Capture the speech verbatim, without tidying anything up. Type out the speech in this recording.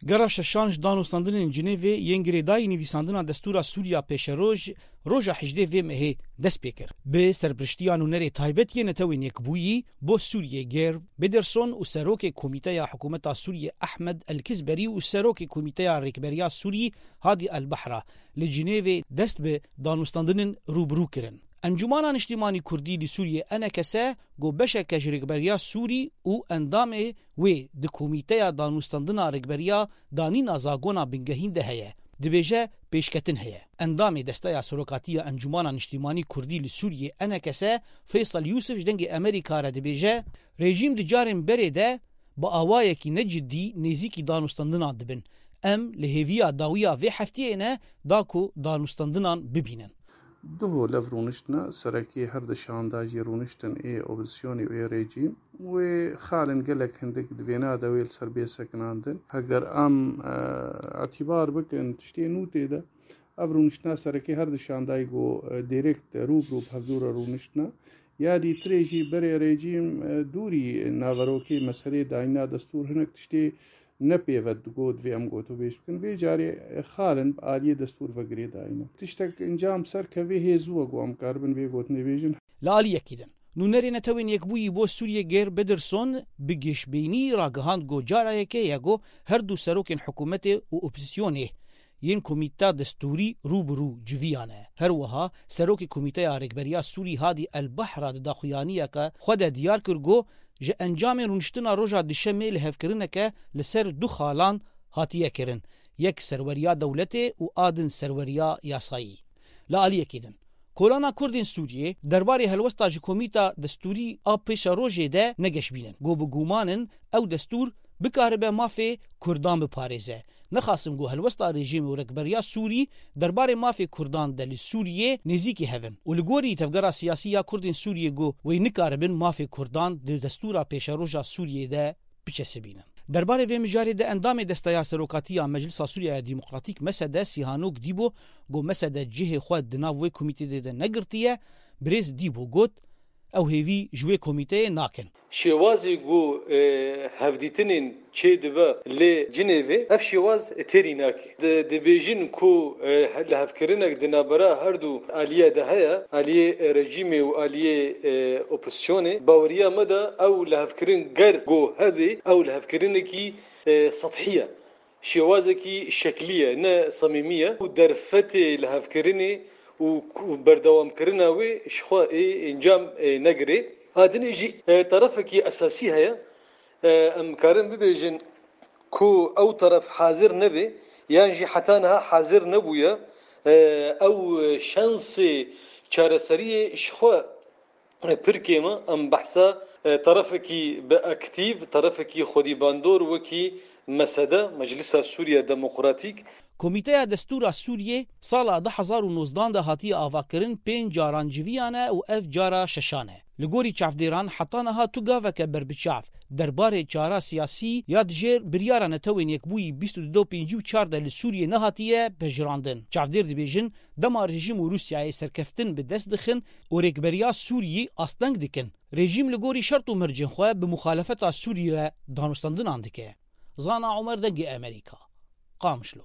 Gera şeşan ji danûstandinên Cinêvê yên girêdayî nivîsandina destûra Sûriya pêşeroj roja hejdê vê mehê dest pê kir. Bi serpiriştiya nûnerê taybet yê Netewên Yekbûyî bo Sûriyê Geir Pederson û serokê Komîteya Hikûmeta Sûriyê Ehmed El Kizberî û serokê Komîteya Rêkberiya Sûrî Hadî El Behra li Cinêvê dest bi danûstandinên rû bi rû kirin. Encûmana Niştimanî Kurdî li Sûriyê, E N K S, got beşeke ji rêkberiya Sûrî û endamê wê di Komîteya Danûstandina Rêkberiya Danîna Zagona Bingehîn de heye. Dibêje pêşketin heye. Endamê Desteya Serokatî ya Encûmana Niştimanî Kurdî li Sûriyê, E N K S, Feysel Yûsif ji Dengê Amerîka re dibêje, rejîm di carên berê de bi awayekî ne cidî nêzîkî danûstandinan dibin. Em li hêviya dawiya vê heftiyê ne da ku danûstandinan bibînin. Duho lev rûniştina serekî her di şanda jî rûniştin ê opozîsyonê û ê rejîm wê xalin gelek hindik di vêna de wê li ser bê sekinandin. Heger em, e, îtîbar bikin tiştê nû tê de, ev rûniştina serekî her di şandayî ku, e, direkt rû bi rû bi hevdû re rûniştina. Ya dîtirê jî berê rejîm, e, dûrî naverokê meselê dayîna destûr hinek tiştê ne pêve digot vê em gotûbêj bikin. Vê carê, e, xalin bi aliyê destûr ve girêdayî ne. Tiştek encam ser kevê hê zû e ku em karibin vê gotinê bêjin. Li aliyekî din, nûnerê Netewên Yekbûyî bo Sûriyê Geir Pederson bi gêşbînî ragihand ku cara yekê ye ku her du serokên hikûmetê û opozîsyonê yên Komîta Destûrî rû bi rû civiyane. Her wiha serokê Komîteya Rêkberiya Sûrî Hadî El Behra di daxuyaniyeke xwe de diyar kir ku ji encamên rûniştina roja Duşemê lihevkirineke li ser du xalan hatiye kirin, yek serweriya dewletê û a din serweriya yasayî. Li aliyekî din, Kolana Kurdên Sûriyê derbarê helwesta ji Komîta Destûrî a Pêşerojê de ne geşbîn in. Got bi guman in ew destûr bikaribe mafê Kurdan biparêze. Nexasim got helwesta rejîmê û rêkberiya Sûrî derbarê mafê Kurdan de li Sûriyê nêzîkî hev in û li gorî tevgera siyasî ya Kurdên Sûriyê got wê nikaribin mafê Kurdan di destûra pêşeroja Sûriyê de biçesibînin. Derbarê vê mijarê de endamê Desteya Serokatî ya Meclisa Sûriya ya Demokratîk, M S D, Sîhanok Dîbo, got M S D cihê xwe di nav wê komîteyê de negirtiye. Birêz Dîbo got, ew hêvî ji wê komîteyê nakin. Şêwazê ku, e, hevdîtinên çêdibe lê Cinêvê, ev şêwaz têrî nake. Di-, dibêjin ku, e, he-, lihevkirinek di navbera her du aliye de heye, aliyê, e, rejîmê û aliyê, e, opozîsyonê. Baweriya me de ew lihevkirin ger ku hebe, ew lihevkirinekî, e, sethî ye. Şêwazekî şeklî ye, ne semîmî ye. Û derfetê lihevkirinê û ku-, berdewamkirina wê ji xwe ê encam, e, negirê. A dinê jî, e, terefekî esasî heye. E, em karin bibêjin ku ew teref hazir nebe, yan jî heta niha hazir nebûye. E, ew şansê çareseriyê ji xwe pir kêm e. Em behsa, e, terefekî bi aktîf, terefekî xwedîbandor wekî M S D, Meclisa Sûriya Demokratîk. Komîteya Destûra Sûriyê sala du hezar û nozdan de hatiye avakirin, pênc caran civiyane û ev cara şeşan e. Li gorî çavdêran heta niha tu gaveke berbiçav derbarê çara siyasî ya dijêr biryara Netewên Yekbûyî bîst û du pêncî û çar de li Sûriyê nehatiye pejirandin. Çavdêr dibêjin, dema rejîm û Rûsyayê serkeftin bi dest dixin û rêkberiya Sûriyî asteng dikin, rejîm li gorî şert û mercên xwe bi muxalefeta Sûrî re danûstandinan dike. Zana Omer, Dengê Amerîka, Qamişlo.